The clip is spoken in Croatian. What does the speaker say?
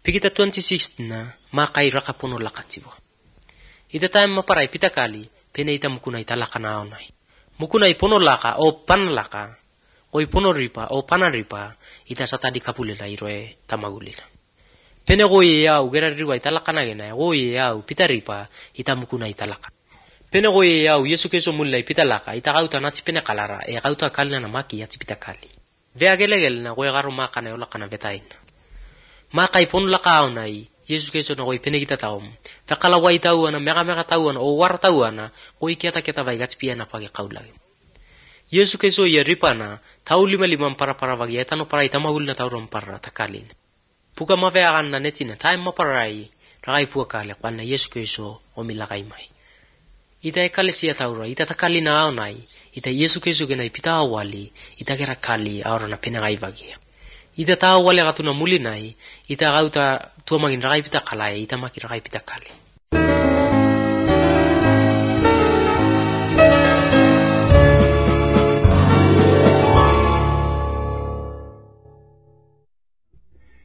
Pigita 26 na makai rakapuno lakatiwa. Ita time maparay pitakali pene ita mukunay talaka na onay. Mukunay puno laka o panlaka o puno ripa o panaripa ita sa tadi kapulila iroe tamagulila. Pene goye yau gera riwa italaka na gena goye yau pitaripa ita mukunay talaka. Pene goye yau Yesu Kristo mulai pitalaka ita kauta nati pene kalara e kauta kalina na maki yati pitakali. Vea gelegel na goye garo maka na yola kana betain. Makai pon laka onay Yesu Kristo na goye pene kita taom. Takala wai tauana mega tauana o war tauana goye kita vai gatspia na pagi kaulagi. Yesu Kristo ya ripana tau lima para vagi etano para itamahul na tauron para takalin. Puka maveakan na netina time maparai ragai puakale kwana Yesu Kristo o milakai mai. Ita ekalesia taura ita takali na onay ita Yesu Kristo genai pita awali ita gera kali aura na penagai vagi. Ita tahu wale katuna mulinai ita gauta tuamagin ragai pita kalai ita maki ragai pita kali.